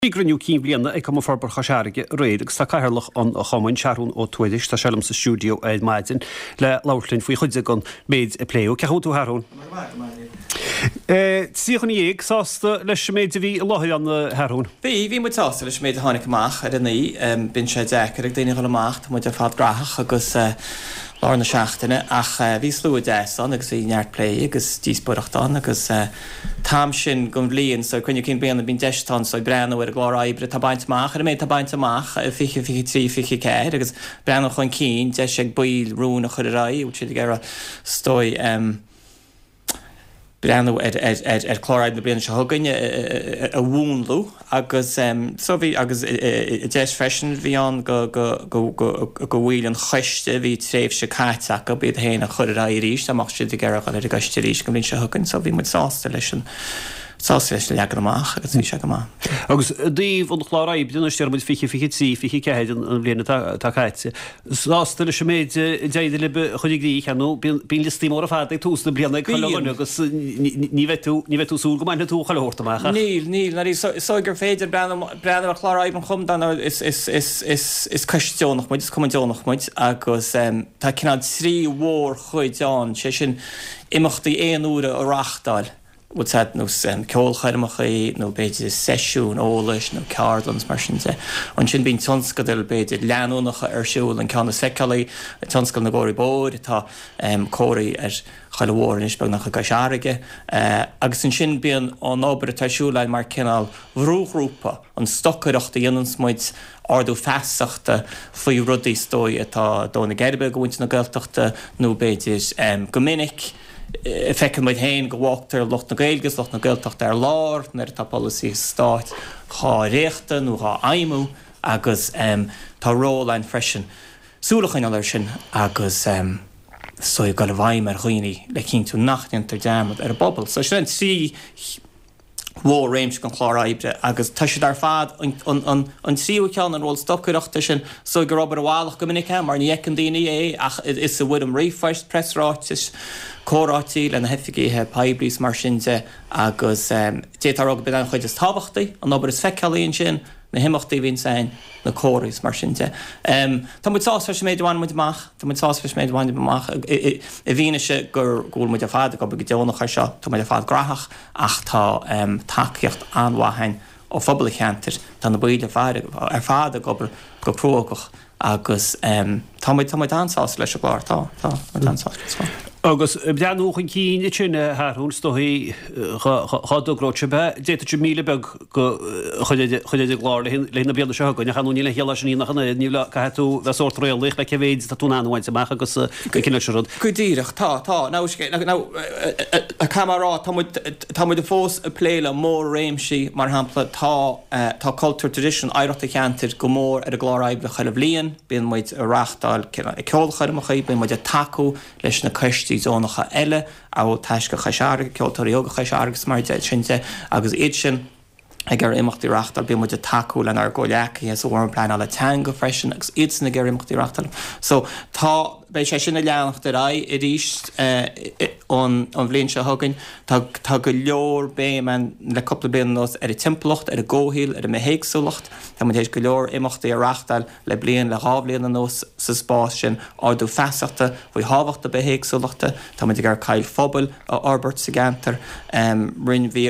Bhí cruinniú cinn bhliana ag Cumann Forbartha Chois Fharraige aréir agus tá Cathaoirleach an Chumainn, Seathrún Ó Tuairisg, tá sé liom sa stiúideo ar maidin le labhairt linn faoi chuid den méid a pléadh. Cén chaoi a bhfuil tú a Sheathrúin? 13 dhuine sásta leis an méid a bhí i láthair ann, a Sheathrúin? Bhí, bhí muid sásta leis an méid a tháinig amach ar an oíche. Bíonn sé deacair ag daoine a dhul amach, tá muid ar fad graitheach agus lár na seachtaine ach bhí slua deas ann agus bhí neart plé agus díospóireacht ann agus t-am sin den bhliain so cruinniú cinn bliana bíonn deis ann so breathnú ar an gclár oibre atá bainte amach, ar an méid atá bainte amach i 20, 23, 24 agus breathnú chun cinn, deis ag baill rúin a chur ar aghaidh, bhfuil siad ag iarraidh is dóigh breathnú ar ar ar ar chlár oibre na bliana seo chugainn a mhúnlú agus so bhí agus deis freisin bhí ann go go go go go bhaill an choiste bhí tréimhse caite acu iad féin a chur ar aghaidh arís dá mbeadh siad ag iarraidh dul ar an gcoiste arís an bhliain seo chugainn so bhí muid sásta leis an sásta leis an leagan amach agus bhí sé go maith. Agus i dtaobh an chlár oibre anois déarfaidh muid 20, 23, 24 an bhliain atá atá caite. Sásta leis an méid a d'éirigh libh a chur i gcrích, ar ndóigh bíonn bíonn liostaí móra fada ag tús na bliana ag chuile dhuine agus ní bheidh tú ní bheidh tú ag súil go mbainfidh tú chuile shórt amach ach. Níl, níl, ná is dóigh gur féidir breathnú breathnú ar chlár oibre an chumainn dar ndóigh is is is is is coiste deonach muid, is cumann deonach muid agus tá cineál 3 mhórchuid ann, sé sin imeachtaí aon uaire a reáchtáil, bhfuil a fhios agat, nós ceolchoirmeacha nó b'fhéidir seisiúin eolais nó ceardlann is mar sin de. Ansin bíonn tionscadail b'fhéidir leanúnacha ar siúl, an ceann is feiceálaí, tionscadal na gcomharthaí bóthair, tá comharthaí ar chuile bhóthar anois beagnach i gCois Fharraige. Agus ansin bíonn an obair atá ar siúl againn mar cineál bhrúghrúpa, an stocaireacht a dhéananns muid, ardú feasachta faoi rudaí is dóigh atá ag dó na geirbe do mhuintir na Gaeltachta nó b'fhéidir go minic, Feiceann muid féin go bhfágtar lucht na Gaeilge is lucht na Gaeltachta ar lár nuair atá polasaithe stáit dhá dhréachtadh nó dhá fheidhmiú agus tá ról againn freisin súil a choinneáil air sin agus is dóigh dul i bhfeidhm ar dhaoine le cinntiú nach ndéantar dearmad ar an bpobal. So sin an 3 mhór-réimse den chlár oibre agus tá siad ar fad, an tríú ceann, an ról stocaireachta sin, is dóigh gur obair i bhfalach go minic é mar ní fheiceann daoine é ach is i bhfoirm ríomhphoist, preasráitis, comhráití le na hoifigithe poiblí is mar sin de agus d'fhéadfá a rá gurb in an chuid is tábhachtaí, an obair is feiceálaí ansin, na himeachtaí a bhíonns ann, na comharthaí is mar sin de. Tá muid sásta leis an méid a bhain muid amach, tá muid sásta leis an méid a bhain muid amach i bhfianaise gur go bhfuil muid ar fad ag obair go deonach air seo, tá muid ar fad graitheach ach tá tacaíocht an-mhaith againn ó phobal an cheantair, tá na baill ar fad ag obair go cruógach agus tá muid, tá muid an-sásta leis an gclár, tá, tá muid an-sásta leis an gclár. Agus ag breathnú chun cinn ansin, a Sheathrúin, is dóigh dhá dtogródh sibh é, d'fhéadfadh sibh 1,000 beag a chur ar an gclár le haghaidh na bliana seo chugainn, ach ar ndóigh níl aon chiall leis sin ach an oiread, níl, caithfidh tú bheith sórt réalaíoch le cé mhéid atá tú in ann a bhaint amach agus an cineál sin rud. Go díreach, tá, tá. Now, now, caithfidh mé a rá, tá muid, tá muid fós ag plé le mór-réimsí, mar shampla, tá, Tá cultúr, traidisiún, oidhreacht an cheantair go mór ar an gclár oibre chuile bhliain. Bíonn muid ag reáchtáil ceolchoirmeacha, bíonn muid ag tacú leis na coistí deonacha eile, amhail Taisce Chois Fharraige, Ceoltóirí Óga Chois Fharraige is mar sin de, agus iad sin ag iarraidh imeachtaí a reáchtáil. Bíonn muid ag tacú lenár gcomhghleacaithe sa bhFóram Pleanála Teanga freisin agus iadsan ag iarraidh imeachtaí a reáchtáil. So tá, beidh sé sin ag leanacht ar aghaidh arís an bhliain seo chugainn. Tá tá go leor béim ann le cúpla bliain anuas ar an timpeallacht, ar an gcomhshaol, ar an mbithéagsúlacht. Tá muid théis go leor imeachtaí a reáchtáil le bliain, le dhá bhliain anuas sa spás sin, ardú feasachta faoi thábhacht na bithéagsúlachta. Tá muid ag iarraidh coill phobail a fhorbairt sa gceantar. Rinn bhí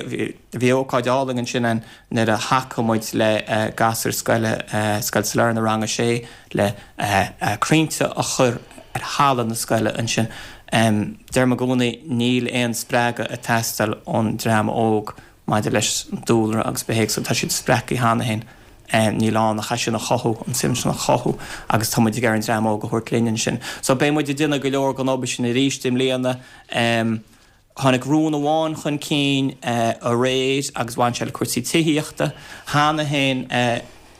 bhí ócáid álainn ansin ann nuair a thacaigh muid le gasúir scoile, Scoil Sailearna, Rang a Sé, le crainnte a chur ar halla na scoile ansin. Deirim i gcónaí, níl aon spreagadh ag teastáil ón dream óg maidir leis an dúlra agus bithéagsúlacht, tá siad spreagtha cheana féin. Níl ann ach é sin a chothú, an suim sin a chothú agus tá muid ag iarraidh an dream óg a thabhairt linn ansin. So beidh muid ag déanamh go leor den obair sin arís i mbliana. Tháinig rún amháin chun cinn aréir agus bhain sé le cúrsaí tithíochta. Cheana féin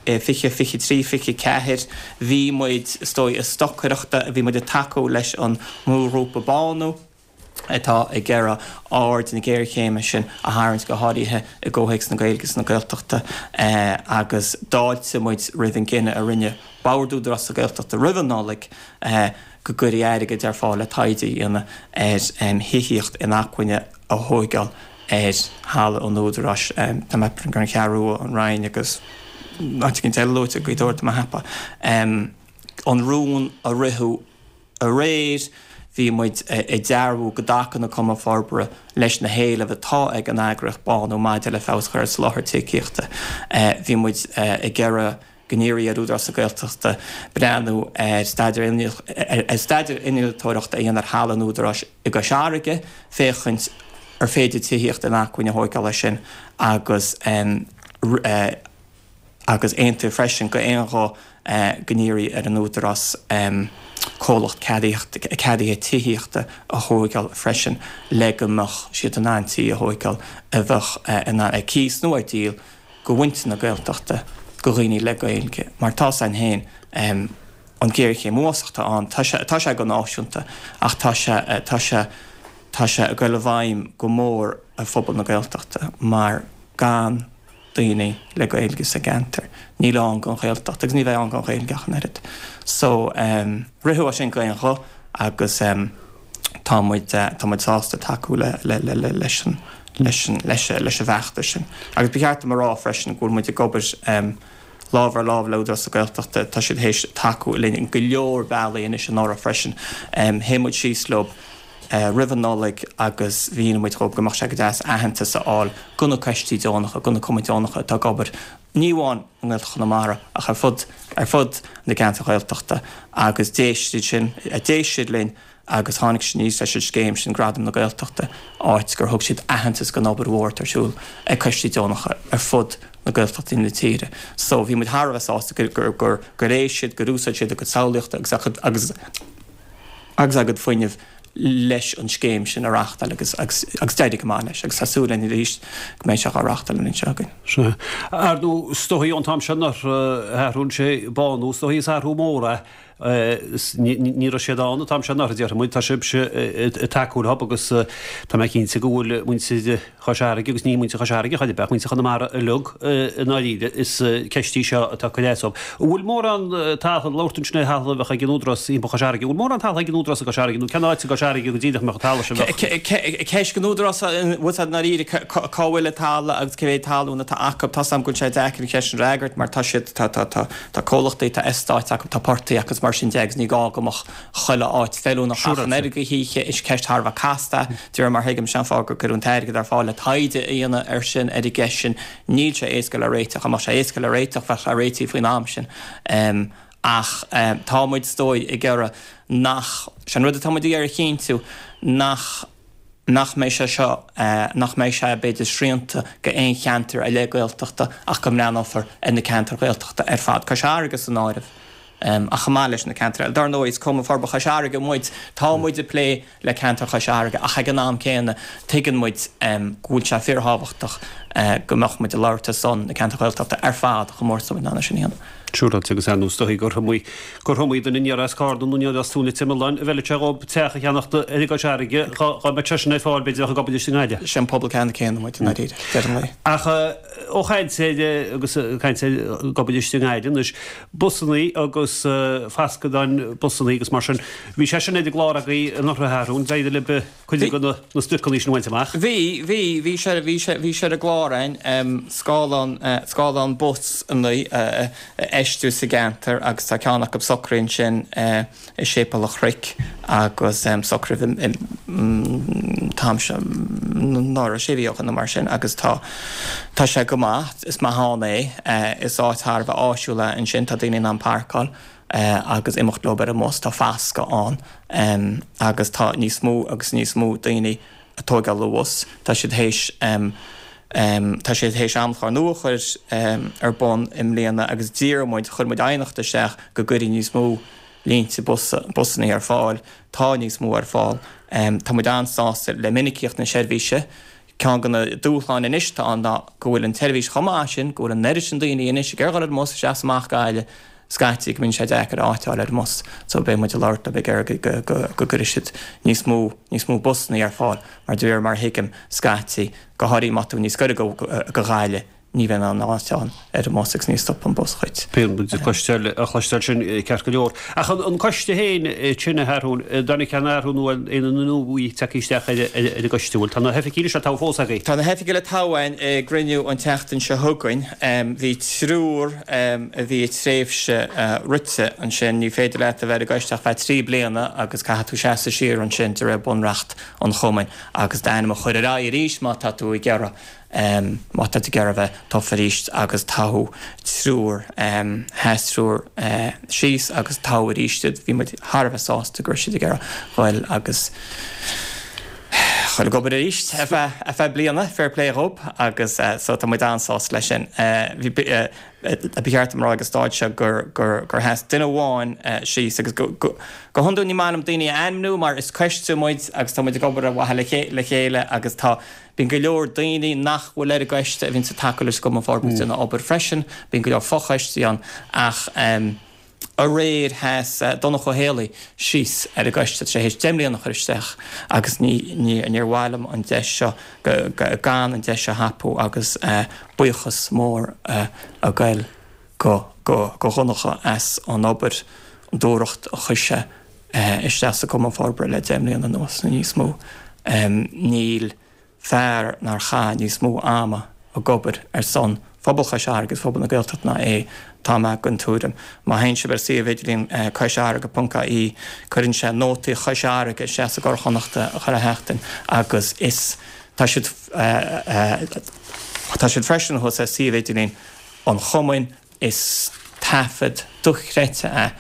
i 20, 23, 24 bhí muid, is dóigh, ag stocaireacht, bhí muid ag tacú leis an mbrúghrúpa Bánú atá ag iarraidh aird na géarchéime sin a tharraingt go háirithe i gcomhthéacs na Gaeilge is na Gaeltachta agus d'fháiltigh muid roimh an gcinneadh a rinne Bord Údarás na Gaeltachta roimh an Nollaig go gcuirfí airgead ar fáil le taighde a dhéanamh ar thithíocht inacmhainne a thóigeáil. ar thalamh an Údaráis. Tá mé ag an Cheathrú Rua, an Rinn agus áit éicint eile luaite, Gaoth Dobhair tá mé ag ceapadh. An rún a ritheadh aréir, bhí muid ag dearbhú go dtacann an Cumann Forbartha leis na héilimh atá ag an eagraíocht Bánú maidir le feabhas a chur ar soláthar tithíochta. Bhí muid ag iarraidh go n-iarrfaí ar Údarás na Gaeltachta breathnú ar staidéar innealtóireachta a dhéanamh ar thalamh an Údaráis i gCois Fharraige féachaint ar féidir tithíocht inacmhainne a thóigeáil air sin agus agus aontaíodh freisin d'aon ghuth go n-iarrfaí ar an Údarás comhlacht ceadaithe tithíochta a thóigeáil freisin le go mbeadh siad in ann tithe a thóigeáil a bheadh in ann ar cíos nó ar díol go mhuintir na Gaeltachta, go dhaoine le Gaeilge, mar tá 's againn féin an ghéarchéim uafásach atá ann, tá sé, tá sé go náisiúnta ach tá sé, tá sé, tá sé ag dul i bhfeidhm go mór ar phobal na Gaeltachta mar gan daoine le Gaeilge sa gceantar níl ann don Ghaeltacht agus ní bheidh ann don Ghaeilge ach an oiread. So, ritheadh é sin d'aon ghuth agus tá muid, tá muid sásta tacú le, le, le, le, leis an, leis an, leis, leis an bhfeachtas sin. Agus ba cheart dom a rá freisin go bhfuil muid ag obair lámh ar lámh le Údarás na Gaeltachta, tá siad théis tacú linn in go leor bealaí anois anuraidh freisin. Shuigh muid síos leo roimh an Nollaig agus mhínigh muid dhóibh go mbeadh sé go deas aitheantas a fháil go na coistí deonacha, go na cumainn deonacha atá ag obair ní amháin i nGaeltacht Chonamara ach ar fud, ar fud na gceantar Ghaeltachta agus d'éist siad sin, d'éist siad linn agus tháinig siad aníos leis an scéim sin, Gradam na Gaeltachta, áit gur thug siad aitheantas don obair mhór atá ar siúl ag coistí deonacha ar fud na Gaeltachtaí na tíre. So bhí muid thar a bheith sásta gur, gur, gur, gur éist siad, gur úsáid siad a gcuid samhlaíochta agus a gcuid, agus, agus a gcuid fuinnimh leis an scéim sin a reáchtáil agus, agus, agus d'éirigh go maith leis agus tá súil againn arís go mbeidh sé á reáchtáil an bhliain seo chugainn. Sea. Ar ndóigh, is dóigh ón t-am seo anuraidh a Sheathrúin, sé Bánú, is dóigh is athrú mór é Ní raibh siad ann an t-am seo anuraidh, déarfaidh muid. Tá sibhse ag tacú leo agus tá mé cinnte go bhfuil muintir Chois Fharraige, agus ní muintir Chois Fharraige chor ar bith, ach muintir Chonamara uilig i ndáiríre, is ceist í seo atá ag cur as dóibh. An bhfuil mórán talún, labhair tú ansin ar thalamh a bheadh ag an Údarás thimpeall Chois Fharraige, an bhfuil mórán talún ag an Údarás i gCois Fharraige nó cén áit i gCois Fharraige go díreach a mbeadh an talamh sin a bheadh? Ceist don Údarás an bhfuil i ndáiríre cá bhfuil an talamh agus cé mhéad talún atá acu. Tá 's agam go bhfuil sé deacair an cheist sin a fhreagairt mar tá siad, tá, tá, tá. Tá comhlachtaí, tá eastáit acu, tá portaigh acu is mar sin de agus ní gá go mbeadh chuile áit feiliúnach ach an oiread go hoíche. Is ceist thar a bheith casta é. De réir mar a thuigim, sin an fáth gur cuireadh an t-airgead ar fáil le taighde a dhéanamh air sin, ar an gceist sin. Níl sé éasca le réiteach. Dá mbeadh sé éasca le réiteach, bheadh sé réitithe faoin am sin. Ach tá muid, is dóigh, ag iarraidh nach, sé an rud atá muid ag iarraidh a chinntiú, nach, nach mbeidh sé seo, nach mbeidh sé, b'fhéidir, srianta go aon cheantar ar leith Gaeltachta ach go mbreathnófar ar na ceantair Ghaeltachta ar fad, Cois Fharraige san áireamh, ach chomh maith leis na ceantair eile. Dar ndóigh, is Cumann Forbartha Chois Fharraige muid, tá muid ag plé le ceantar Chois Fharraige ach ag an am céanna tuigeann muid go bhfuil sé fíorthábhachtach go mbeadh muid ag labhairt ar son na ceantair Ghaeltachta ar fad chomh mór is atá muid in ann é sin a dhéanamh. Siúráilte agus ar ndóigh is dóigh gur iomaí gur iomaí duine aniar as Carna nó aniar as Tóin an Imealláin a bhfeilfeadh sé dhóibh teach a cheannacht i gCois Fharraige dhá mbeadh sé sin ar fáil b'fhéidir ach ag obair istigh i nGaillimh. Sé an pobal ceannann céanna muid i ndáiríre, deireadh an lae. Ach ó chaint ar agus caint ar ag obair istigh i nGaillimh anois, busannaí agus fascadáin busannaí agus mar sin, bhí sé sin ar an gclár agaibh anuraidh a Sheathrúin, d'éirigh libh cuid de na spriocanna sin a bhaint amach. Bhí, bhí, bhí sé, bhí sé, bhí sé ar an gclár againn, scáileán, scáileán busanna a fheistiú sa gceantar agus tá ceann acu socraithe ansin i Séipéal an Chnoic agus socraithe an t-am seo anuraidh, sé mhí ó shin nó mar sin agus tá, tá sé go maith, is maith ann é, is áit thar a bheith áisiúil é ansin, tá daoine in ann páirceáil. agus imeacht leo ar an mbus, tá fascadh ann agus tá níos mó agus níos mó daoine ag tóigeáil an bhus. Tá siad théis tá siad théis amchlár nua a chur ar bun i mbliana agus d'iarr muid, chuir muid aighneacht isteach go gcuirfí níos mó línte bus, busanna ar fáil. Tá níos mó ar fáil. Tá muid an-sásta le minicíocht na seirbhíse. Ceann de na dúshláin anois atá ann ná go bhfuil an tseirbhís chomh maith sin, go bhfuil an oiread sin daoine anois ag iarraidh dhul ar an mbus isteach is amach Gaillimh, scaití go mbíonn sé deacair áit a fháil ar an mbus. So beidh muid ag labhairt leo ag iarraidh go, go, go gcuirfidh siad níos mó, níos mó busanna ar fáil mar de réir mar a thuigim, scaití, go háirithe má tá tú níos gaire go, go Gaillimh. ní bheidh aon áit ann ar an mbus agus ní stopann an bus dhuit. Bíonn muid ag cloisteáil, a chloisteáil sin ceart go leor. Ach an coiste féin sin a Sheathrúin, an dtáinig aon athrú nó aon duine nua tagtha isteach ar an gcoiste, bhfuil? Tá na hoifigigh le toghadh fós agaibh? Tá na hoifigigh le toghadh againn i gcruinniú an tseachtain seo chugainn. Bhí triúr a bhí a tréimhse rite ansin. Ní féidir leat a bheith ar an gcoiste ach feadh 3 bliana agus caithfidh tú seasamh siar ansin de réir bunreacht an chumainn agus d'ainm a chur ar aghaidh arís má tá tú ag iarraidh Má tá tú ag iarraidh a bheith tofa arís agus toghadh triúr, sheas triúr síos agus toghadh arís iad. Bhí muid thar a bheith sásta go raibh siad ag iarraidh ghoil agus ghoil ag obair arís ar feadh ar feadh bliana, fair play dhób agus so tá muid an-sásta leis sin. Bhí ba cheart dom a rá ag an stáid seo gur gur gur sheas duine amháin síos agus go go go hiondúil ní maith liom daoine a ainmniú mar is coiste muid agus tá muid ag obair ar mhaithe le chéile agus tá Bíonn go leor daoine nach bhfuil ar an gcoiste a bhíonns ag tacú leis an gCumann Forbartha ag déanamh obair freisin. Bíonn go leor fochoistí ann ach aréir sheas Donncha Ó Héalaí síos ar an gcoiste. Tá sé théis 10 mbliana a chur isteach agus ní níor mhaith liom an deis seo gan an deis seo a thapú agus buíochas mór a ghoil go go Dhonncha as an obair, an dúthracht a chuir sé isteach sa Cumann Forbartha le 10 mbliana anuas nó níos mó. Níl fear nár chaith níos mó ama ag obair ar son phobal Chois Fharraige agus phobal na Gaeltachta ná é, tá mé den tuairim. Má théann sibh ar suíomh idirlín coisfharraige.ie cuireann sé nótaí Chois Fharraige isteach sa gCuradh Chonnachta chuile sheachtain agus is tá siad tá siad freisin thuas ar suíomh idirlín an Chumainn Is taifead dochreidte é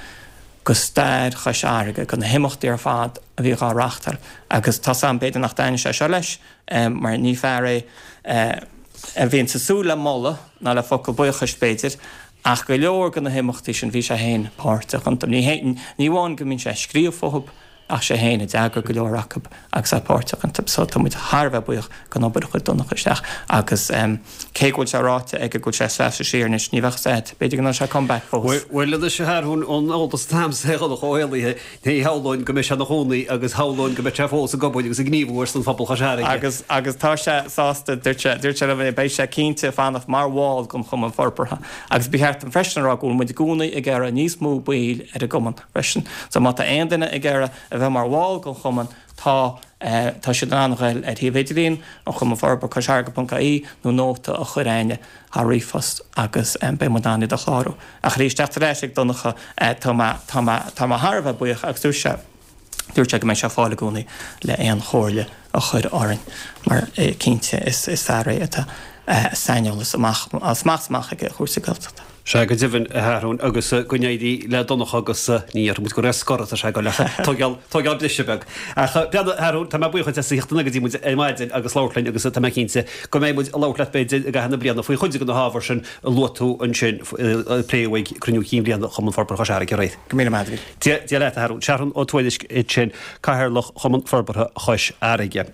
go stair Chois Fharraige, go na himeachtaí ar fad a bhíodh á reachtáil agus tá's a'm b'fhéidir nach dtaitníonn sé seo leis mar ní fear é a bhíonns ag súil le moladh ná le focal buíochais b'fhéidir ach go leor de na himeachtaí sin bhí sé féin páirteach iontu. Ní amháin go mbíonn sé ag scríobh fúthu ach sé féin a d'eagraigh go leor acu agus é páirteach iontu. So tá muid thar a bheith buíoch den obair a chuir Donncha isteach agus cé go bhfuil sé ráite aige go bhfuil sé ag seasamh siar anois, ní bheadh a fhios a'd, b'fhéidir go ndéanfaidh sé comeback fós. Bhuel anois a Sheathrúin, ón eolas atá a'msa ar Dhonncha Ó Héalaí, ní shamhlóinn go mbeidh sé ina chónaí agus shamhlóinn go mbeidh sé fós ag obair agus ag gníomhú ar son phobal Chois Fharraige. Agus agus tá sé sásta, dúirt sé, dúirt sé liom é, beidh sé cinnte ag fanacht mar bhall den Chumann Forbartha agus ba cheart dom freisin a rá go bhfuil muid i gcónaí ag iarraidh níos mó baill ar an gCumann. freisin. So má tá aon duine ag iarraidh a bheith mar bhall den chumann, tá, tá siad in ann a ghoil ar shuíomh idirlín an Chumainn Forbartha, coisfharraige.ie, nó nóta a chur a'inne thar ríomhphost agus beidh muid in ann iad a chlárú. Ach arís, teacht ar ais ag Donncha, tá mé, tá mé, tá mé thar a bheith buíoch agus dúirt sé, dúirt sé go mbeidh sé ar fáil i gcónaí le aon chomhairle a chur orainn mar cinnte is, is fear é atá saineolas amach, as amach is amach aige ar chúrsaí Gaeltachta. Sea, go deimhin, a Sheathrúin, agus go n-éirí le Donncha agus ní dhéarfaidh muid gur ar scor atá sé ag dul ach tógáil, tógáil briseadh beag. Ach breathnaigh, a Sheathrúin, tá mé buíoch duit as a theacht anonn go dtí muid ar maidin agus labhairt linn agus tá mé cinnte go mbeidh muid ag labhairt leat b'fhéidir i gcaitheamh na bliana faoi chuid de na hábhair sin a luaigh tú ansin a pléadh ag Cruinniú Cinn Bhliana Chumann Forbartha Chois Fharraige aréir. Go míle maith agat. Dia, Dia leat, a Sheathrúin. Seathrún Ó Tuairisg ansin, Cathaoirleach Chumann Forbartha Chois Fharraige.